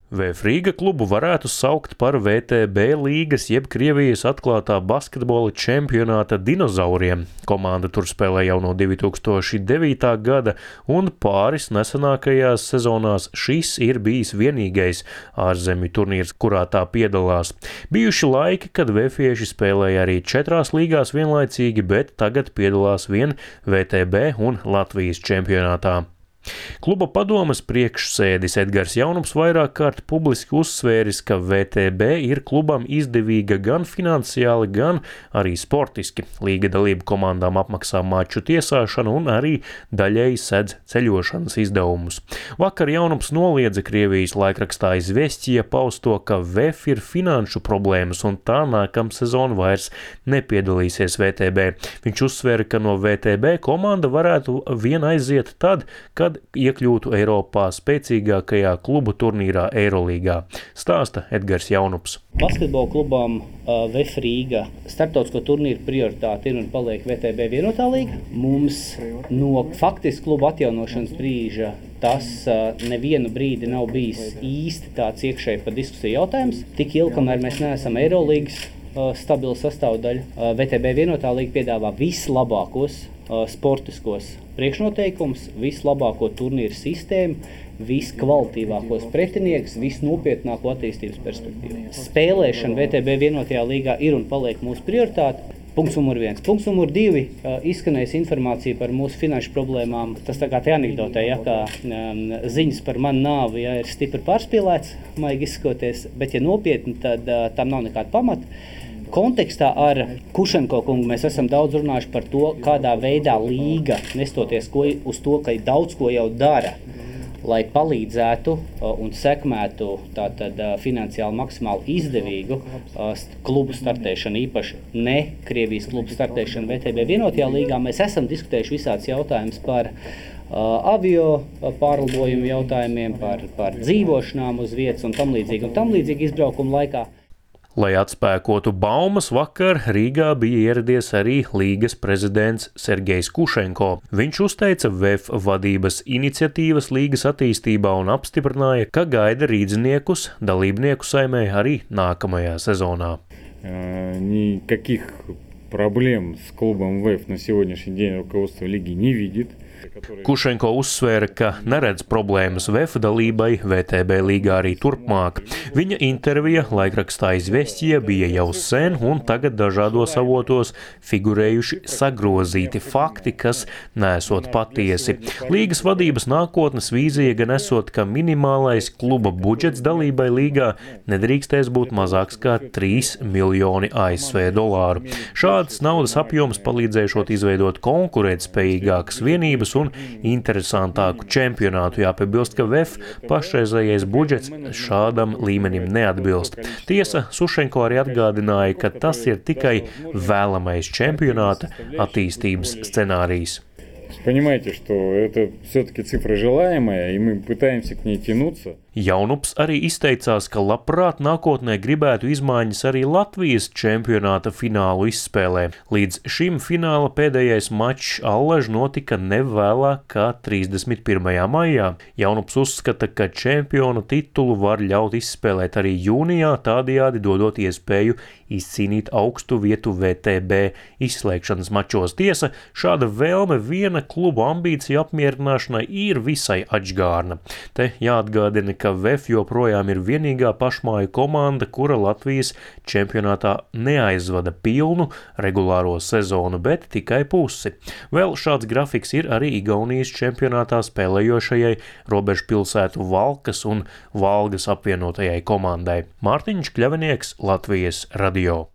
VF Rīga klubu varētu saukt par VTB līgas jeb Krievijas atklātā basketbola čempionāta dinozauriem. Komanda tur spēlē jau no 2009. gada, un pāris nesenākajās sezonās šis ir bijis vienīgais ārzemju turnīrs, kurā tā piedalās. Bijuši laiki, kad VFieši spēlēja arī 4 līgās vienlaicīgi, bet tagad piedalās vien VTB un Latvijas čempionātā. Kluba padomes priekšsēdis Edgars Jaunups vairāk kārt publiski uzsvēris, ka VTB ir klubam izdevīga gan finansiāli, gan arī sportiski. Līga dalību komandām apmaksā maču tiesāšanu un arī daļēji sedz ceļošanas izdevumus. Vakar Jaunups noliedza Krievijas laikrakstā Izvestija pausto, ka VF ir finanšu problēmas un tā nākamsezon vairs nepiedalīsies VTB. Viņš uzsvēra, ka no VTB komanda varētu vien aiziet tad, kad iekļūtu Eiropā spēcīgākajā klubu turnīrā Eirolīgā, stāsta Edgars Jaunups. Basketbola klubām VF Rīga starptautisko turnīru prioritāte ir un paliek VTB vienotā līga. Mums no faktiski kluba atjaunošanas brīža tas nevienu brīdi nav bijis īsti tāds iekšēji pa diskusiju jautājums. Tik ilgi, kamēr mēs neesam Eirolīgas stabila sastāvdaļa, VTB vienotā līga piedāvā vislabākos sportiskos priekšnoteikums, vislabāko turnīru sistēmu, viskvalitīvākos pretinieks, visnopietnāko attīstības perspektīvu. Spēlēšana VTB vienotajā līgā ir un paliek mūsu prioritāte. Punkts numur 1. Punkts numur 2. Izskanējas informācija par mūsu finanšu problēmām. Tas tā kā te anekdotē, kā ziņas par manu nāvi ir stipri pārspīlēts, maigi izsakoties, bet ja nopietni, tad tam nav nekāda pamata. Kontekstā ar Kušenko kungu mēs esam daudz runājuši par to, kādā veidā līga, nestoties uz to, ka daudz ko jau dara, lai palīdzētu un sekmētu tātad finansiāli maksimāli izdevīgu klubu startēšanu, īpaši ne Krievijas klubu startēšanu VTB vienotajā līgā. Mēs esam diskutējuši visāds jautājums par avio pārlidojumu jautājumiem, par dzīvošanām uz vietas un tam līdzīgi izbraukuma laikā. Lai atspēkotu baumas, vakar Rīgā bija ieradies arī līgas prezidents Sergejs Kušenko. Viņš uzteica VF vadības iniciatīvas līgas attīstībā un apstiprināja, ka gaida rīdziniekus dalībnieku saimē arī nākamajā sezonā. Никаких проблем с клубом ВФ на сегодняшний день руководство лиги не видит. Kušenko uzsvēra, ka neredz problēmas VF dalībai VTB līgā arī turpmāk. Viņa intervija laikrakstā Izvestija bija jau sen, un tagad dažādos avotos figurējuši sagrozīti fakti, kas nesot patiesi. Līgas vadības nākotnes vīzija gan esot, ka minimālais kluba budžets dalībai līgā nedrīkstēs būt mazāks kā 3 miljoni ASV dolāru. Šāds naudas apjoms palīdzēšot izveidot konkurētspējīgākas vienības un interesantāku čempionātu. Jāpiebilst, ka VF pašreizējais budžets šādam līmenim neatbilst. Tiesa, Sušenko arī atgādināja, ka tas ir tikai vēlamais čempionāta attīstības scenārijs. Понимаете, что это все-таки цифра желаемая, и мы пытаемся к ней тянуться. Jaunups arī izteicās, ka labprāt nākotnē gribētu izmaiņas arī Latvijas čempionāta finālu izspēlē. Līdz šim fināla pēdējais mačs allaž notika nevēlāk kā 31. maijā. Jaunups uzskata, ka čempionu titulu var ļaut izspēlēt arī jūnijā, tādējādi dodot iespēju izcīnīt augstu vietu VTB izslēgšanas mačos. Tiesa, šāda vēlme viena klubu ambīciju apmierināšanai ir visai atžgārna. Te jāatgādina, ka VF joprojām ir vienīgā pašmāju komanda, kura Latvijas čempionātā neaizvada pilnu regulāro sezonu, bet tikai pusi. Vēl šāds grafiks ir arī Igaunijas čempionātā spēlējošajai robežpilsētu Valkas un Valgas apvienotajai komandai. Mārtiņš Kļavinieks, Latvijas radio.